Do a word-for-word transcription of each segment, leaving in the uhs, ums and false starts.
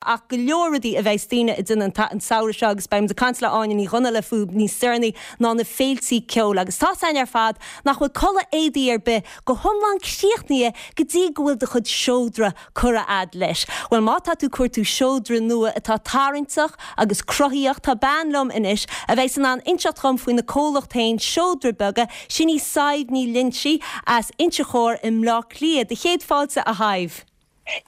Ach go leor rudaí a bheas daoine ag déanamh an samhradh seo agus beidh muid ag caint le Áine Ní Dhonnaile fúthu níos deireanaí ná na féiltí ceoil agus tá a fhios againn ar fad nach bhfuil culaith éadaí ar bith go hiomlán críochnaithe go dtí go bhfuil do chuid seodra curtha a'd leis. Bhuel má tá tú ag cuartú seodra nua atá tarraingteach agus cruthaíoch tá bean liom anois a bheidh in ann inseacht dhom faoina comhlacht féin Seodra Beaga sin í Sadhbh Ní Loinsigh as Inse Chór i mBleá Cliath do chéad fáilte a Shadhbh.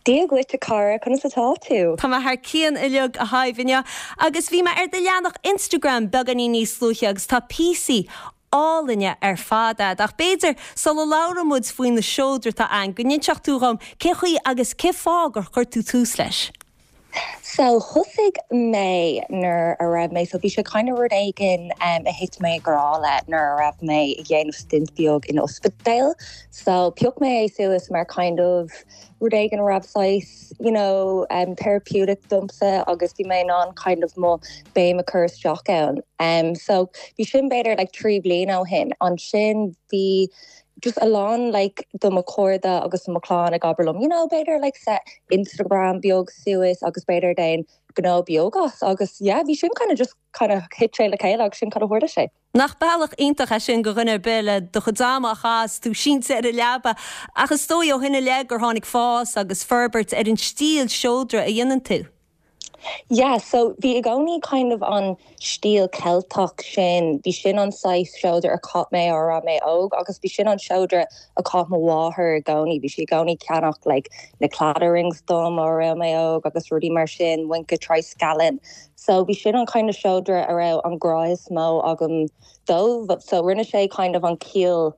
Dia dhuit a chara conas atá tú? Tá mé thar cionn uilig a Shadhbh agus bhí mé ar do leathanach Instagram beagáinín níos luaithe agus tá píosaí álainne ar fad a'd ach b'fhéidir sula labhrann muid faoi na seodra atá ann go n-inseodh tú dhom cé chaoi agus cé fáth gur chuir tú tús leis. So thosaigh mé nuair a raibh mé so bhí sé kind of rud éigin um, a thit mé grá le nuair a raibh mé ag déanamh stint beag in ospidéal. So phioc mé é suas mar kind of rud éigin a raibh saghas you know um, therapeutic domsa agus bhí mé an kind of mo béim a chur isteach ann. Um, so bhí sin b'fhéidir like trí bliana ó shin ansin bhí just a lán like do mo chairde agus mo chlann ag abair liom you know b'fhéidir like set Instagram beag suas agus b'fhéidir déan gnó beag as agus yeah bhí sin kind of just kind of hit sé le chéile agus sin kind of tharla sé. Nach bealach iontach é sin go dhuine bile do chuid ama a chaitheamh tú sínte ar an leaba ach is dóigh ó shin i leith gur tháinig fás agus forbairt ar an stíl seodra a dhéanann tú. Yeah, so bhí i gcónaí kind of an stíl Ceilteach sin, bhí sin an saghas seodra a chaith mé á raibh mé óg agus bhí sin an seodra a chaith mo mháthair i gcónaí, bhí sí i gcónaí ceannach like, na Claddagh rings dom á raibh mé óg agus rudaí mar sin muince Scallon. So bhí sin an kind of seodra a raibh an grá is mó agam dó, so rinne sé kind of an ciall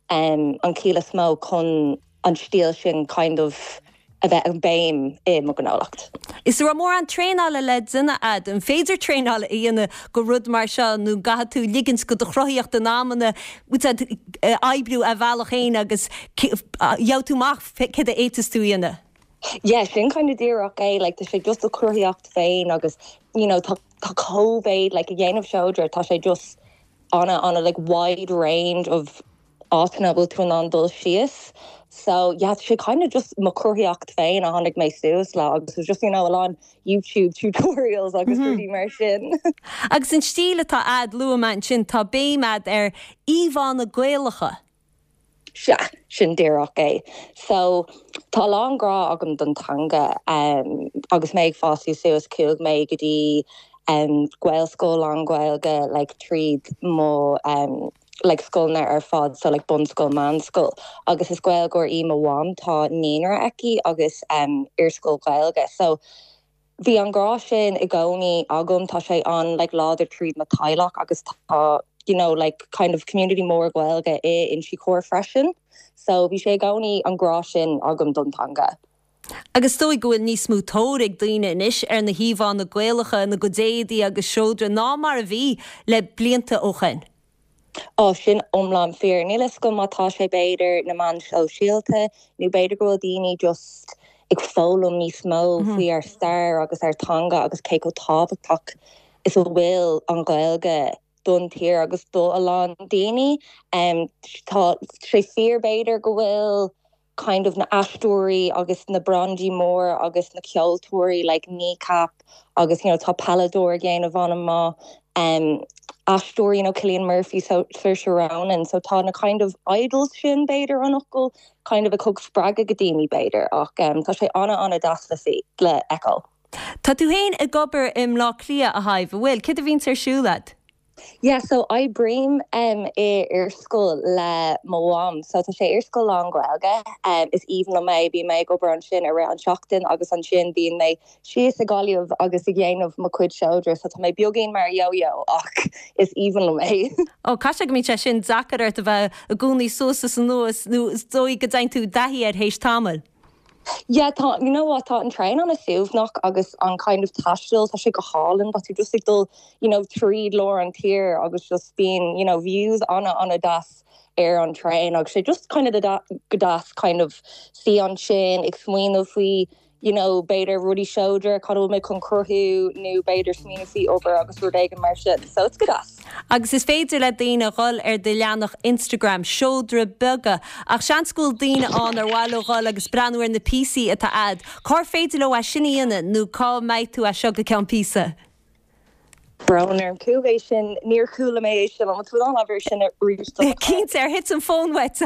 um, an ciall is mó chun an stíl sin kind of a bheith an béim i mo ghnólacht. Is raibh mórán traenála le déanamh a'd an féidir traenáil a dhéanamh go rud mar seo nó caithfidh tú ligint go do chruthaíocht in amanna oibriú a bhealach féin agus gheobhaidh tú amach céard a fhéadfas tú a dhéanamh. Yeah, sin kind of díreach é like, tá sé just a chruthaíocht féin agus you know, tá tá cómhéid like, a dhéanamh seodra tá sé just an an like wide range of áiteanna bhfuil tú an dul síos. So yeah, sé kind of just mo chruthaíocht féin a tháinig mé suas le agus was just you know, a lán YouTube tutorials agus mm -hmm. rudaí mar sin. Agus an stíl atá a'd luaigh sin tá béim a'd ar íomhánna Gaelacha. Sea sin díreach é. So tá lán grá agam don teanga um, agus mé ag fás suas chuaigh mé go dtí um, Gaelscoil an Ghaeilge like, tríd mo um, like scoileanna ar fad so like bunscoil meánscoil agus is Gaeilgeoir í mo mham tá naíonra aici agus um, iarscoil Gaeilge so bhí an grá sin i gcónaí agam tá sé an like láidir tríd mo theaghlach agus tá you know like kind of community mór Gaeilge i Inse Chór freisin so bhí sé i gcónaí an grá sin agam don teanga. Agus is dóigh go bhfuil níos mó tóir ag daoine anois ar na híomhánna Gaelacha na goidéadaí agus seodra ná mar a bhí le blianta ó shin. Á sin iomlán fíor níl a fhios agam má tá sé b'fhéidir na meáin shóisialta nó b'fhéidir go bhfuil daoine just ag foghlaim níos mó mm -hmm. faoi ar stair agus ar teanga agus cé chomh tábhachtach is a bhfuil an Ghaeilge don tír agus do a lán daoine um, tá sé fíor b'fhéidir go bhfuil kind of na aisteoirí agus na brandaí mór agus na ceoltóirí like Kneecap agus you know, tá peileadóir déanamh an-mhaith um, aisteoirí you know, Cillian Murphy so Saoirse Ronan so tá na kind of idols sin b'fhéidir an fhocal kind of a thug spreagadh go daoine b'fhéidir ach um, tá sé an- an-deas le le feiceáil. Tá tú féin ag obair i mBleá Cliath a Shadhbh bhfuil, céard a bhíonn ar siúl a'd? Yeah, so oibrím um, i iarscoil le mo mham, so tá sé iarscoil lán-Ghaeilge um, is aoibhinn liom é bím ag obair ansin ar an seachtain agus ansin bíonn mé síos ag Gaillimh agus ag déanamh mo chuid seodra, so tá mé beagáinín mar yo-yo ach is aoibhinn liom é. Ó Ca go mbíonn sé sin deacair ort a bheith i gcónaí suas is anuas nó is dóigh go dtéann tú i dtaithí air théis tamaill. Yeah, tá you know what tá an traein an-suaimhneach agus an kind of taisteal tá sé go hálainn tá tú just ag dul you know tríd lár an tír agus just bíonn you know views an- an-deas ar an traein agus sé just kind of go deas kind of suí ansin ag smaoineamh faoi you know b'fhéidir rudaí seodra cad mé chun cruthú nó b'fhéidir smaoineamh faoi obair agus rud éigin mar sin so it's good as. Agus is féidir le daoine dhul ar do leathanach Instagram seodra beaga ach seans go bhfuil daoine ann ar mhaith leo dhul agus breathnú ar na píosaí atá a'd. Cár féidir leo é sin a dhéanamh nó cá mbeidh tú as seo go ceann píosa. Brón orm cú é sin níor chuala mé é sin an tú an sin arís Cinnte ar thit an fón uait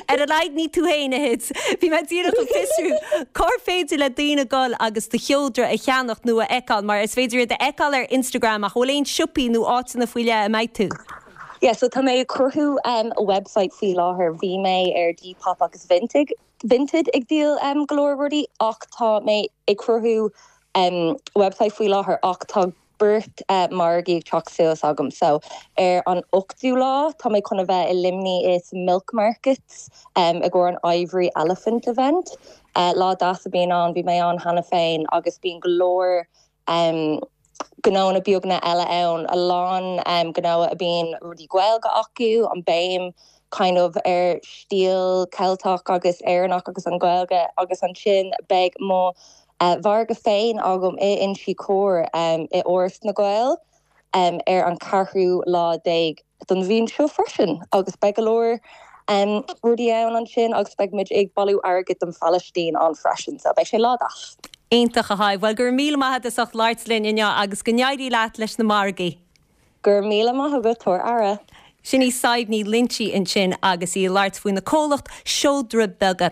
Ar a laghad ní tú féin a thit. Bhí mé díreach ag fiosrú cár féidir le daoine dul agus do sheodra a cheannach nó a fheiceáil mar is féidir iad a fheiceáil ar Instagram ach bhfuil aon siopaí nó áiteanna faoi leith a mbeidh tú. Yeah, so tá mé ag cruthú um, website faoi láthair bhí mé ar Depop agus Vinted Vinted ag díol um, go leor rudaí ach tá mé ag cruthú um, website faoi láthair ach tá beirt uh, margaí ag teacht suas agam so ar an ochtú lá tá mé chun a bheith i Luimnigh is Milk Markets um, i gcomhair an Ivory Elephant event. Uh, lá deas a bhíonn ann bhí mé ann cheana féin agus bíonn go leor um, gnónna beaga eile ann a lán um, gnó a bíonn rudaí Gaeilge acu an béim kind of ar stíl Ceilteach agus Éireannach agus an Ghaeilge agus ansin beidh mo uh, mhargadh féin agam i Inse Chór um, i Áras na nGael um, ar an ceathrú lá déag don mhí seo freisin agus beidh go leor um, rudaí ann ansin agus beidh muid ag bailiú airgid don Phalaistín ann freisin, so beidh sé lá deas. Iontach a Shadhbh, well gur míle maith as ucht labhairt linn inniu agus go n-éirí leat leis na margaí. Gur míle maith agat tabhair aire. Sin í Sadhbh Ní Loinsigh ansin agus í ag labhairt faoina comhlacht seodra beaga.